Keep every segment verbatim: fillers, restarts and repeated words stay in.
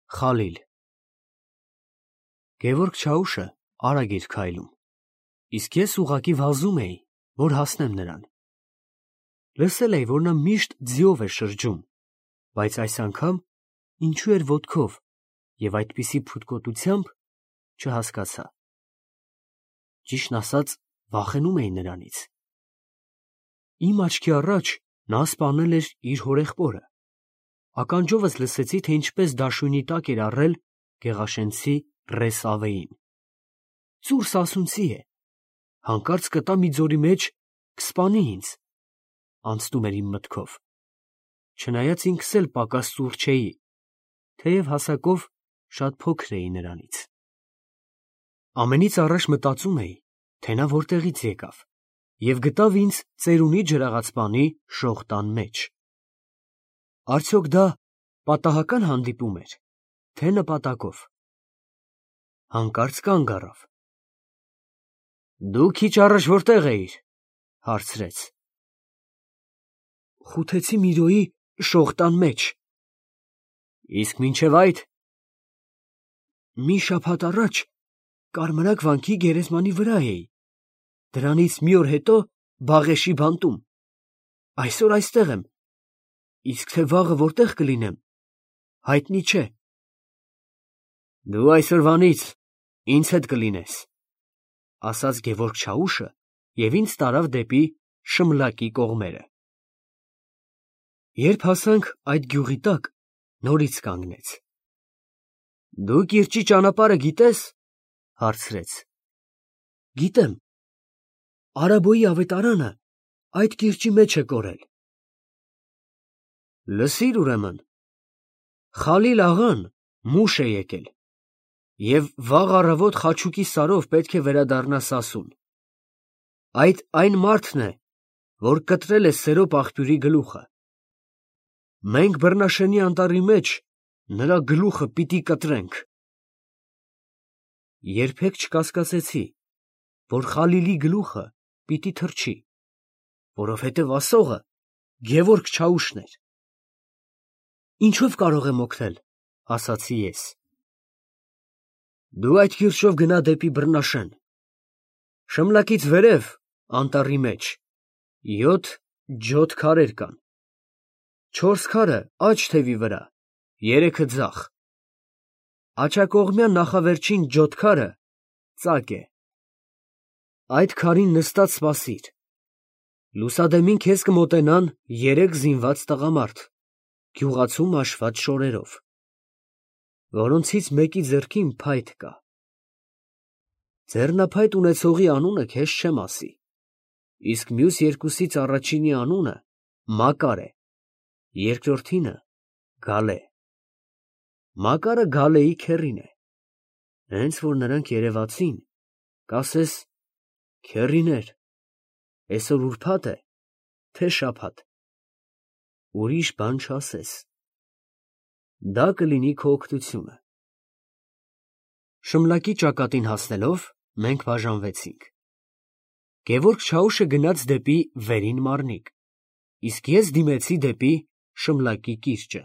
Խալիլ Գևորգ Չաուշը արագ էր քայլում, իսկ ես ուղղակի վազում էի, որ հասնեմ նրան։ Լսել էի, որ նա միշտ ձիով է շրջում, բայց այս անգամ ինչու էր ոտքով և այդպիսի փութկոտությամբ չհասկացա։ Ճիշտն ասած, վախենում էի նրանից։ Իմ աչքի առաջ նա սպանել էր իր հորեղբորը։ Ականջովս լսեցի, թե ինչպես դաշույնի տակ էր առել գեղաշենցի Ռեսավեին։ Ծուռ սասունցի է, հանկարծ կտա մի ձորի մեջ կսպանի ինձ, անցնում էր իմ մտքով, չնայած ինքս էլ պակաս ծուռ չէի, թեև հասակով շատ փոքր էի նրանից։ Ամենից առաջ մտածում էի, թե նա որտեղից եկավ և գտավ ինձ ծերունի ջրաղացպանի շողտան մեջ։ Արդյոք դա պատահական հանդիպում էր, թե նպատակով։ Հանկարծ կանգ առավ։ Դու քիչ առաջ որտեղ էիր, հարցրեց։ Խութեցի Միրոյի շողտան մեջ։ Իսկ մինչև այդ։ Մի շաբաթ առաջ Կարմրակ վանքի գերեզմանի վրա էի, դրանից մի օր հետո Բաղեշի բանտում, այսօր այստեղ եմ, իսկ թե վաղը որտեղ կլինեմ, հայտնի չէ։ Դու այսօրվանից ինձ հետ կլինես, ասաց Գևորգ Չաուշը և ինձ տարավ դեպի Շմլակի կողմերը։ Երբ հասանք այդ գյուղի տակ, նորից կանգնեց։ Դու կիրճի ճանապարհը գիտես, հարցրեց։ Գիտեմ, Արաբոյի ավետարանը այդ կիրճի մեջ է կորել։ Լսիր ուրեմն, Խալիլ աղան մուշ է եկել և վաղ առավոտ խաչուկի սարով պետք է վերադառնա Սասուն։ Այդ այն մարդն է, որ կտրել է Սերոպ աղբյուրի գլուխը։ Մենք Բռնաշենի անտառի մեջ նրա գլուխը պիտի կտրենք։ Երբեք չկասկածեցի, որ Խալիլի գլուխը պիտի թրջի, որովհետև ասողը Գևորգ Չաուշն էր։ Ինչով կարող եմ օգնել, ասացի ես։ Դու այդ կիրճով գնա դեպի Բռնաշեն։ Շմլակից վերև, անտառի մեջ, յոթ ջոթ քարեր կան։ Չորս քարը աջ թևի վրա, երեքը ձախ։ Աջակողմյան նախավերջին ջոթ քարը ծակ է։ Այդ քարին նստած սպասիր։ Լուսադեմին քեզ կմոտենան երեք զինված տղամարդ, գյուղացու մաշված շորերով, որոնցից մեկի ձեռքին փայտ կա։ Ձեռնափայտ ունեցողի անունը քեզ չեմ ասի, իսկ մյուս երկուսից առաջինի անունը Մակար է, երկրորդինը Գալե։ Մակարը Գալեի քեռին է։ Հենց որ նրանք երևացին, կասես քեռիներ, այսօր ուրբաթ է, թե շաբաթ։ Ուրիշ բան չասես։ Դա կլինի քո օգնությունը։ Շմլակի ճակատին հասնելով, մենք բաժանվեցինք։ Գևորգ Չաուշը գնաց դեպի Վերին Մարնիկ, իսկ ես դիմեցի դեպի Շմլակի կիրճը։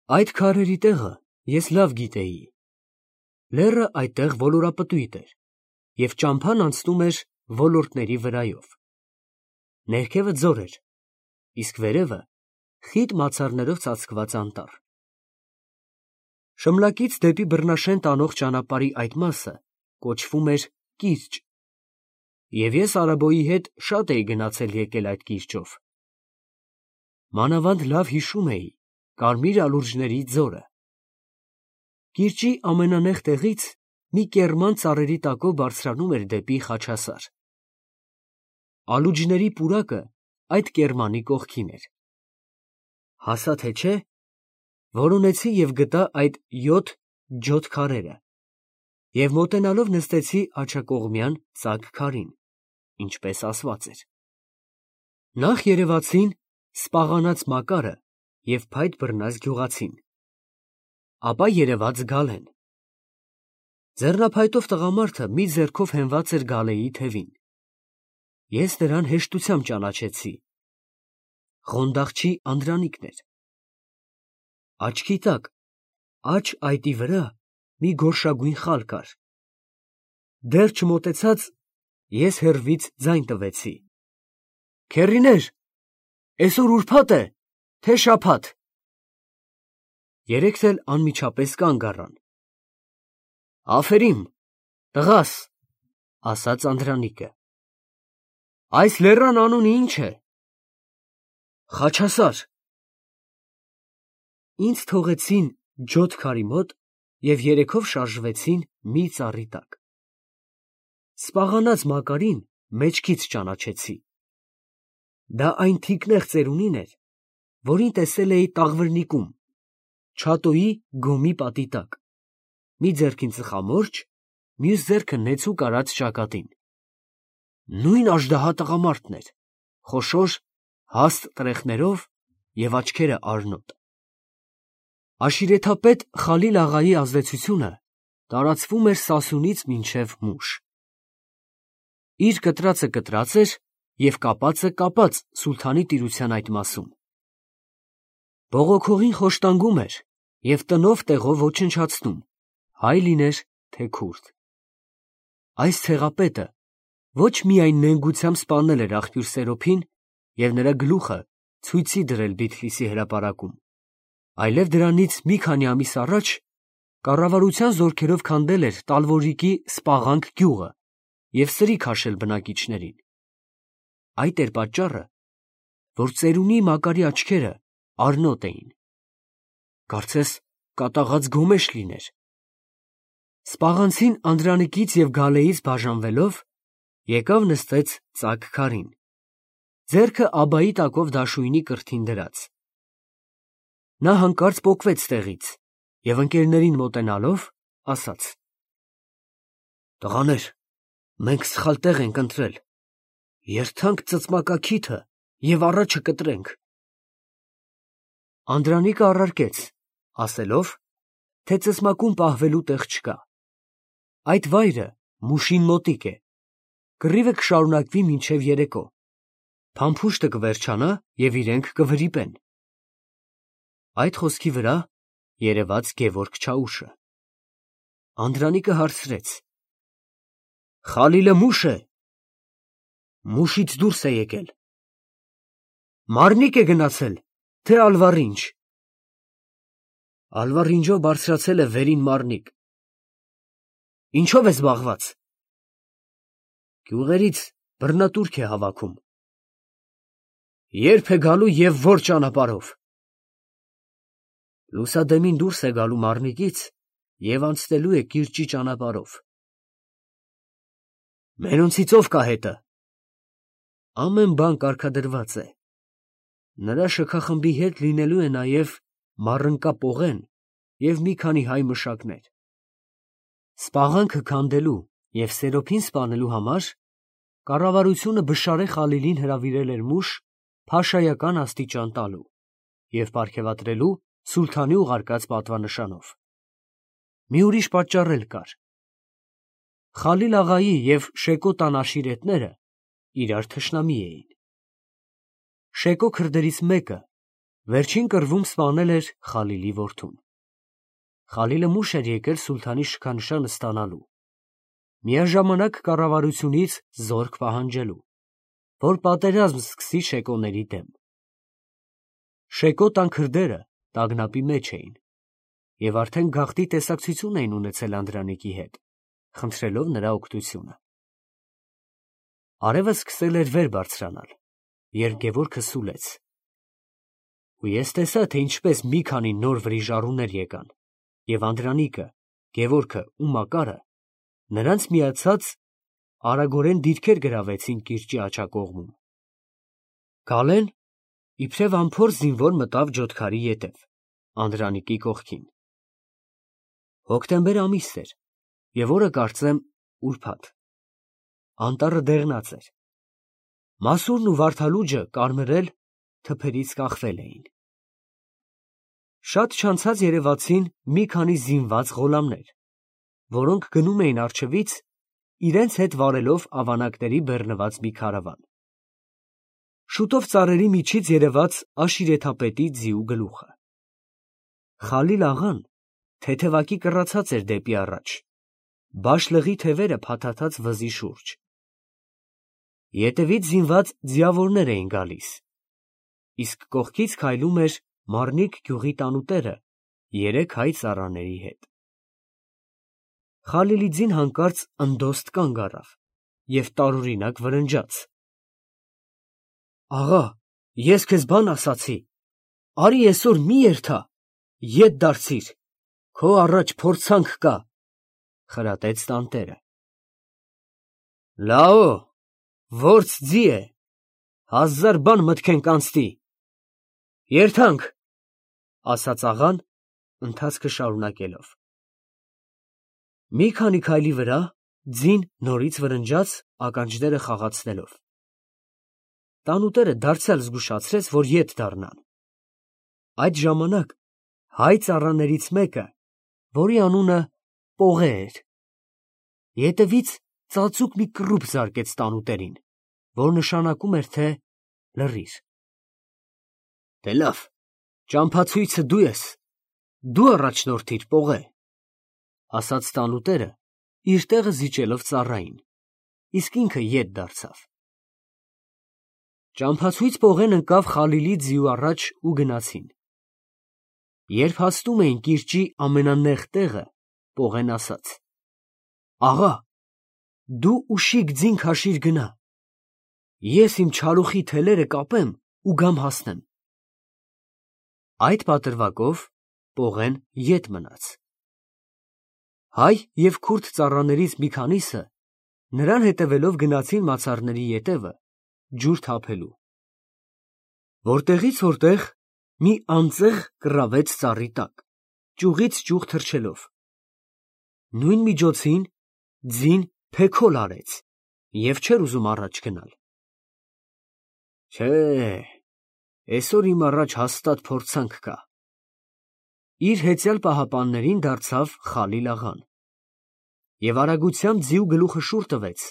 Այդ քարերի տեղը ես լավ գիտեի։ Լեռը այդտեղ ոլորապտույտ էր, և ճամփան անցնում էր ոլորտների վրայով։ Ներքևը ձոր էր, իսկ վերևը խիտ մացառներով ծածկված անտառ։ Շմլակից դեպի Բռնաշեն տանող ճանապարհի այդ մասը կոչվում էր կիրճ, և ես Արաբոյի հետ շատ էի գնացել եկել այդ կիրճով։ Մանավանդ լավ հիշում էի կարմիր ալուրջների ձորը։ Կիրճի ամենանեղ տեղից մի կեռման ծառերի տակով բարձրանում էր դեպի Խաչասար։ Ալուջների պուրակը այդ կեռմանի կողքին էր։ Հասա թե չէ, որոնեցի և գտա այդ յոթ ջոթ քարերը և մոտենալով նստեցի աջակողմյան ծակ քարին, ինչպես ասված էր։ Նախ երևացին սպաղանած Մակարը և փայտ բռնած գյուղացին, ապա երևաց Գալեն։ Ձեռնափայտով տղամարդը մի ձեռքով հենված էր Գալեի թևին։ Ես նրան հեշտությամբ ճանաչեցի։ Ղոնդաղչի Անդրանիկն էր։ Աչքի տակ Աջ այտի վրա մի գորշագույն խալ կար։ Դեռ չմոտեցած ես հեռվից ձայն տվեցի. «Քեռիներ, էսօր ուրբաթ է, թե շաբաթ»։ Երեքս էլ անմիջապես կանգ առան։ «Աֆերիմ, տղաս», ասաց Անդրանիկը։ «Այս լեռան անունը ի՞նչ է»։ «Խաչասար»։ Ինձ թողեցին ջոտ քարի մոտ և երեքով շարժվեցին մի ծառի տակ։ Սպաղանած Մակարին մեջքից ճանաչեցի։ Դա այն թիկնեղ ծերունին էր, որին տեսել էի Տաղվրնիկում, Չատոյի գոմի պատի տակ, մի ձեռքին ծխամորճ, մյուս ձեռքը նեցուկ արած ճակատին։ Նույն աժդահա տղամարդն էր, խոշոր, հաստ տրեխներով և աչքերը արնոտ։ Աշիրեթապետ Խալիլ֊աղայի ազդեցությունը տարածվում էր Սասունից մինչև Մուշ։ Իր կտրածը կտրած էր և կապածը կապած սուլթանի տիրության այդ մասում։ Բողոքողին խոշտանգում էր և տնով տեղով ոչնչացնում, հայ լիներ, թե քուրդ։ Այս ցեղապետը ոչ միայն նենգությամբ սպանել էր աղբյուր Սերոփին և նրա գլուխը ցույցի դրել Բիթլիսի հրապարակում, այլև դրանից մի քանի ամիս առաջ կառավարության զորքերով քանդել էր Տալվորիկի Սպաղանք գյուղը և սրի քաշել բնակիչներին։ Այդ էր պատճառը, որ ծերունի Մակարի աչքերը արնոտ էին։ Կարծես կատաղած գոմեշ լիներ։ Սպաղանցին Անդրանիկից և Գալեից բաժանվելով, եկավ նստեց ծակ քարին, ձեռքը աբայի տակով դաշույնի կրթին դրած։ Նա հանկարծ պոկվեց տեղից և ընկերներին մոտենալով ասաց. «Տղաներ, մենք սխալ տեղ ենք ընտրել, երդանք ծծմակաքիթը և առաջը կտրենք»։ Անդրանիկը առարկեց, ասելով, թե ծծմակում պահվելու տեղ չկա։ Այդ վայրը Մուշին մոտիկ է, կռիվը կշարունակվի մինչև երեկո, փամփուշտը կվերջանա և իրենք կվրիպեն։ Այդ խոսքի վրա երևաց Գևորգ Չաուշը։ Անդրանիկը հարցրեց. «Խալիլը մուշ է»։ Մուշից դուրս է եկել։ Մարնիկ է գնացել, թե Ալվառինջ։ Ալվառինջով բարձրացել է վերին Մարնիկ։ Ինչո՞վ է զբաղված։ Գյուղերից բռնատուրք է հավաքում։ Ե՞րբ է գալու և ո՞ր ճանապարհով։ Լուսադեմին դուրս է գալու Մարնիկից և անցնելու է կիրճի ճանապարհով։ Մերոնցից ո՞վ կա հետը։ Ամեն բան կարգադրված է։ Նրա շքախմբի հետ լինելու է նաև Մառընկա Պողեն և մի քանի հայ մշակներ։ Սպաղանքը քանդելու և Սերոփին սպանելու համար կառավարությունը Բշարե Խալիլին հրավիրել էր Մուշ փաշայական աստիճան տալու և պարգևատրելու սուլթանի ուղարկած պատվանշանով։ Մի ուրիշ պատճառ էլ կար. Խալիլ֊աղայի և Շեկո տան աշիրետները իրար թշնամի էին։ Շեկո քրդերից մեկը վերջին կռվում սպանել էր Խալիլի որդուն։ Խալիլը Մուշ էր եկել սուլթանի շքանշանը ստանալու, միաժամանակ կառավարությունից զորք պահանջելու, որ պատերազմ սկսի շեկոների դեմ։ Շեկո տան քրդերը տագնապի մեջ էին և արդեն գաղտնի տեսակցություն էին ունեցել Անդրանիկի հետ, խնդրելով նրա օգնությունը։ Արևը սկսել էր վեր բարձրանալ, երբ Գևորգը սուլեց։ Ու ես տեսա, թե ինչպես մի քանի նոր վրիժառուներ եկան, և Անդրանիկը, Գևորգը ու Մակարը նրանց միացած արագորեն դիրքեր գրավեցին կիրճի աջակողմում։ Գալեն իբրև անփորձ զինվոր մտավ ջոթքարի ետև, Անդրանիկի կողքին։ Հոկտեմբեր ամիս էր և օրը կարծեմ ուրբաթ։ Անտառը դեղնած էր։ Մասուրն ու վարդալուջը կարմրել, թփերից կախվել էին։ Շատ չանցած երևացին մի քանի զինված ղոլամներ, որոնք գնում էին առջևից, իրենց հետ վարելով ավանակների բեռնված մի քարավան։ Շուտով ծառերի միջից երևաց աշիրեթապետի ձիու գլուխը։ Խալիլ֊աղան թեթևակի կռացած էր դեպի առաջ, բաշլղի թևերը փաթաթած վզի շուրջ։ Ետևից զինված ձիավորներ էին գալիս, իսկ կողքից քայլում էր Մարնիկ գյուղի տանուտերը երեք հայ ծառաների հետ։ Խալիլի ձին հանկարծ ընդոստ կանգ առավ և տարօրինակ վրնջաց. «Աղա, ես քեզ բան ասացի, արի այսօր մի երթա, ետ դարձիր, քո առաջ փորձանք կա», խրատեց տանտերը։ «Լաո, որց ձի է, հազար բան մտքենք անցնի, երթանք», ասաց աղան, ընթացքը շարունակելով։ Մի քանի քայլի վրա ձին նորից վրնջաց, ականջները խաղացնելով։ Տանուտերը դարձյալ զգուշացրեց, որ ետ դառնան։ Այդ ժամանակ հայ ծառաներից մեկը, որի անունը Պողե էր, ետևից ծածուկ մի կռուպ զարկեց տանուտերին, որ նշանակում էր, թե լռիր։ «Դե լավ, ճամփացույցը դու ես, դու առաջնորդիր, Պողե», ասաց տանուտերը, իր տեղը զիջելով ծառային, իսկ ինքը ետ դարձավ։ Ճամփացույց Պողեն ընկավ Խալիլի ձիու առաջ ու գնացին։ Երբ հասնում էին կիրճի ամենանեղ տեղը, Պողեն ասաց. «Աղա, դու ուշիկ ձին քաշիր գնա, ես իմ չարուխի թելերը կապեմ ու գամ հասնեմ»։ Այդ պատրվակով Պողեն ետ մնաց։ Հայ և քուրդ ծառաներից մի քանիսը նրան հետևելով գնացին մացառների ետևը, ջուր թափելու։ Որտեղից որտեղ մի անձեղ կռավեց ծառի տակ, ճյուղից ճյուղ թռչելով։ Նույն միջոցին ձին փեքոլ արեց և չէր ուզում առաջ գնալ։ «Չէ, այսօր իմ առաջ հաստատ փորձանք կա», իր հեծյալ պահապաններին դարձավ Խալիլ աղան և արագությամբ ձիու գլուխը շուռ տվեց,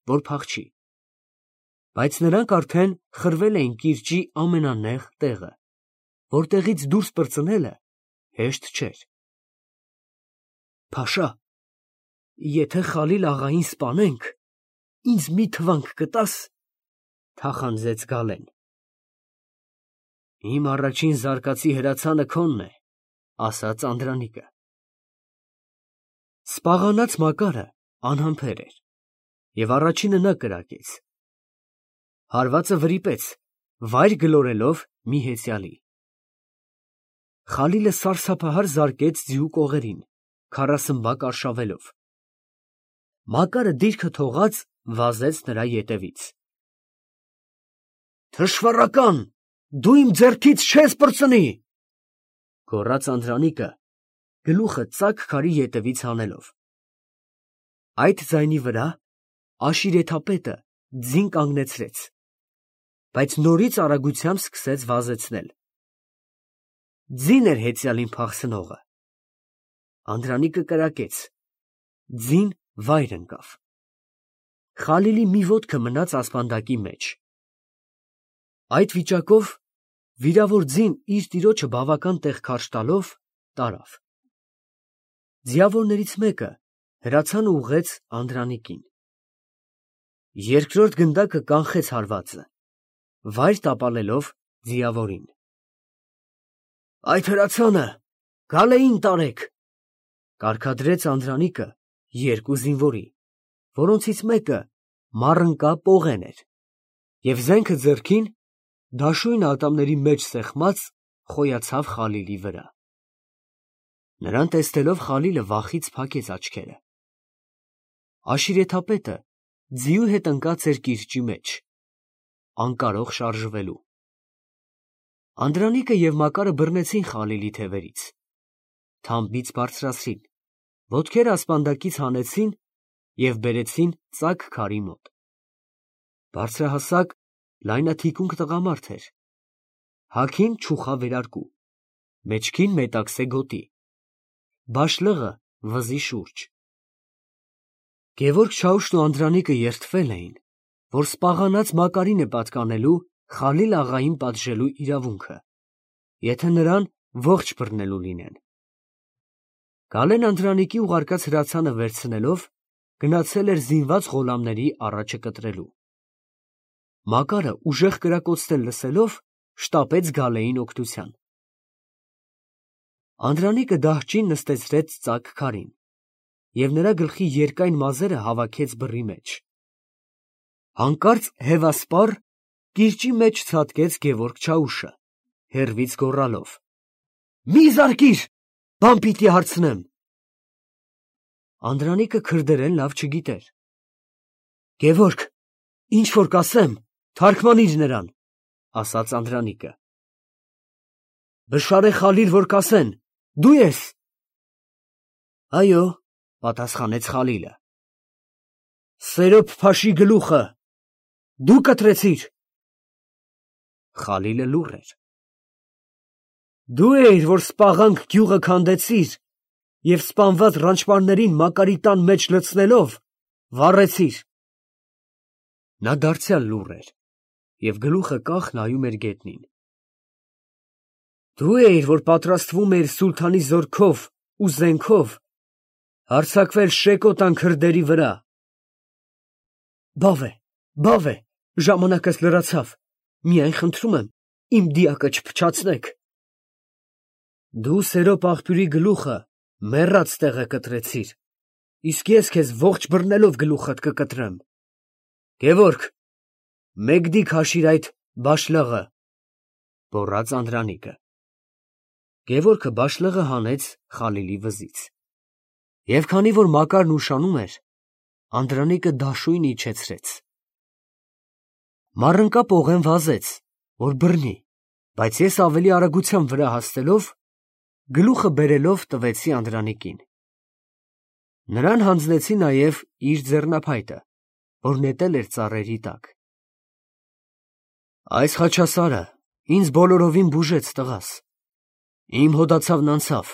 որ փախչի, բայց նրանք արդեն խրվել էին կիրճի ամենանեղ տեղը, որտեղից դուրս պրծնելը հեշտ չէր։ «Փաշա, եթե Խալիլ աղային սպանենք, ինձ մի թվանք կտա՞ս», թախանձեց Գալեն։ «Իմ առաջին զարկածի հրացանը քոնն է», ասաց Անդրանիկը։ Սպաղանած Մակարը անհամբեր էր, և առաջինը նա կրակեց։ Հարվածը վրիպեց, վայր գլորելով մի հեծյալի։ Խալիլը սարսափահար զարկեց ձիու կողերին, քառասմբակ արշավելով։ Մակարը դիրքը թողած վազեց նրա ետևից։ «Թշվառական, դու իմ ձեռքից չես պրծնի», գոռաց Անդրանիկը, գլուխը ծակ քարի ետևից հանելով։ Այդ ձայնի վրա Աշիրեթապետը ձին կանգնեցրեց, բայց նորից արագությամբ սկսեց վազեցնել։ Ձին էր հեծյալին փախցնողը։ Անդրանիկը կրակեց, ձին վայր ընկավ։ Խալիլի մի ոտքը մնաց ասպանդակի մեջ։ Այդ վիճակով վիրավոր ձին իր տիրոջը բավական տեղ քարշ տալով տարավ։ Ձիավորներից մեկը հրացանը ուղղեց Անդրանիկին։ Երկրորդ գնդակը կանխեց հարվածը, վայր տապալելով ձիավորին։ «Այդ հրացանը Գալեին տարեք», կարգադրեց Անդրանիկը երկու զինվորի, որոնցից մեկը մառընկա Պողեն էր, և զենքը ձեռքին, դաշույնը ատամների մեջ սեղմած, խոյացավ Խալիլի վրա։ Նրան տեսնելով Խալիլը վախից փակեց աչքերը։ Աշիրեթապետը ձիու հետ ընկած էր կիրճի մեջ, անկարող շարժվելու։ Անդրանիկը և Մակարը բռնեցին Խալիլի թևերից, թամբից բարձրացրին, ոտքերը ասպանդակից հանեցին և բերեցին ծակ քարի մոտ։ Բարձրահասակ, լայնաթիկունք տղամարդ էր, հագին չուխա վերարկու, մեջքին մետաքսե գոտի, բաշլղը վզի շուրջ։ Գևորգ Չաուշն ու Անդրանիկը երդվել էին, որ սպաղանած Մակարին է պատկանելու Խալիլ աղային պատժելու իրավունքը, եթե նրան ողջ բռնելու լինեն։ Գալեն Անդրանիկի ուղարկած հրացանը վերցնելով գնացել էր զինված ղոլամների առաջը կտրելու։ Մակարը ուժեղ կրակոցներ լսելով շտապեց Գալեին օգնության։ Անդրանիկը դահճին նստեցրեց ծակ քարին և նրա գլխի երկայն մազերը հավաքեց բռի մեջ։ Հանկարծ հևասպառ կիրճի մեջ ցատկեց Գևորգ Չաուշը, հեռվից գոռալով. «Մի զարկիր, բան պիտի հարցնեմ»։ Անդրանիկը քրդերեն լավ չգիտեր։ «Գևորգ, ինչ որ կասեմ, թարգմանիր նրան», ասաց Անդրանիկը։ «Բշարե Խալիլ որ կասեն, դու ես»։ «Այո», պատասխանեց Խալիլը։ «Սերոբ Փաշի գլուխը դու կտրեցիր»։ Խալիլը լուռ էր։ «Դու էիր, որ Սպաղանք գյուղը քանդեցիր և սպանված ռանչպարներին Մակարի տան մեջ լցնելով վառեցիր»։ Նա դարձյալ լուռ էր և գլուխը կախ նայում էր գետնին։ «Դու էիր, որ պատրաստվում էիր սուլթանի զորքով ու զենքով հարձակվել Շեկոտան քրդերի վրա»։ «Բավ է, բավ է, ժամանակս լրացավ, միայն խնդրում եմ, իմ դիակը չփչացնեք»։ «Դու Սերոբ աղբյուրի գլուխը մեռած տեղը կտրեցիր, իսկ ես քեզ ողջ բռնելով գլուխդ կկտրեմ։ Գևորգ, մեկդիկ հաշիր այդ բաշլղը», գոռաց Անդրանիկը։ Գևորգը բաշլղը հանեց Խալիլի վզից։ Եվ քանի որ Մակարն ուշանում էր, Անդրանիկը դաշույն իջեցրեց։ Մառընկա պողեն վազեց, որ բռնի, բայց ես ավելի արագության վրա հասնելով, գլուխը բերելով տվեցի Անդրանիկին։ Նրան հանձնեցի նաև իր ձեռնափայտը, որ նետել էր ծառերի տակ։ «Այս խաչասարը ինձ բոլորովին բուժեց, տղաս, իմ հոդացավն անցավ,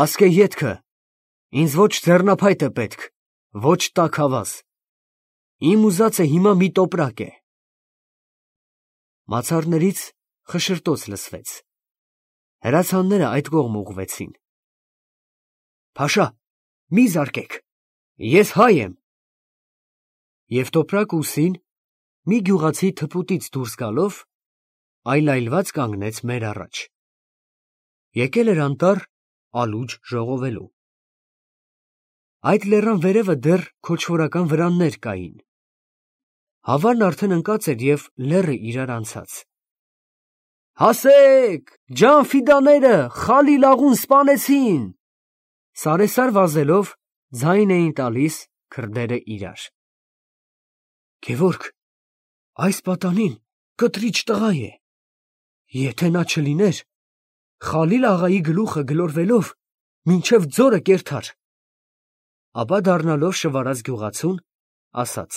ասկե ետքը, ինձ ոչ ձեռնափայտ է պետք, ոչ տաք ավազ, իմ ուզածը հիմա մի տոպրակ է»։ Մացառներից խշշրտոց լսվեց։ Հրացանները այդ կողմ ուղղվեցին։ «Փաշա, մի զարկեք, ես հայ եմ»։ Եվ տոպրակ ուսին մի գյուղացի թփուտից դուրս գալով այլայլված կանգնեց մեր առաջ։ Եկել էր անտառ ալուջ ժողովելու։ Այդ լեռան վերևը դեռ քոչվորական վրաններ կային։ Հավարն արդեն ընկած էր և լեռը իրար անցած։ «Հասե՛ք, ջան֊ֆիդաները Խալիլ աղուն սպանեցին», սարեսար վազելով ձայն էին տալիս քրդերը իրար։ «Գևորգ, այս պատանին կտրիչ տղա է, եթե նա չլիներ, Խալիլ աղայի գլուխը գլորվելով մինչև ձորը կերթար»։ Ապա դառնալով շվարած գյուղացուն, ասաց.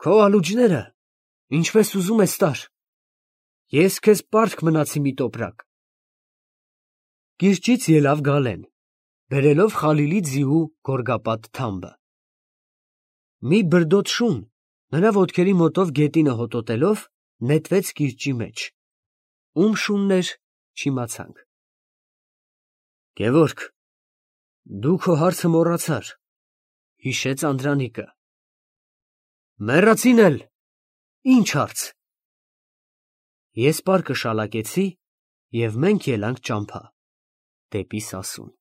«Քո ալուջները ինչպես ուզում ես տար, ես քեզ պարտք մնացի մի տոպրակ»։ Կիրճից ելավ Գալեն, բերելով Խալիլի ձիու գորգապատ թամբը։ Մի բրդոտ շուն, նրա ոտքերի մոտով գետինը հոտոտելով, նետվեց կիրճի մեջ։ Ում շունն էր, չիմացանք։ «Գևորգ, դու քո հարցը մոռացար», հիշեց Անդրանիկը։ «Մեռածին էլ ի՞նչ հարց»։ Ես պարկը շալակեցի, և մենք ելանք ճամփա, դեպի Սասուն։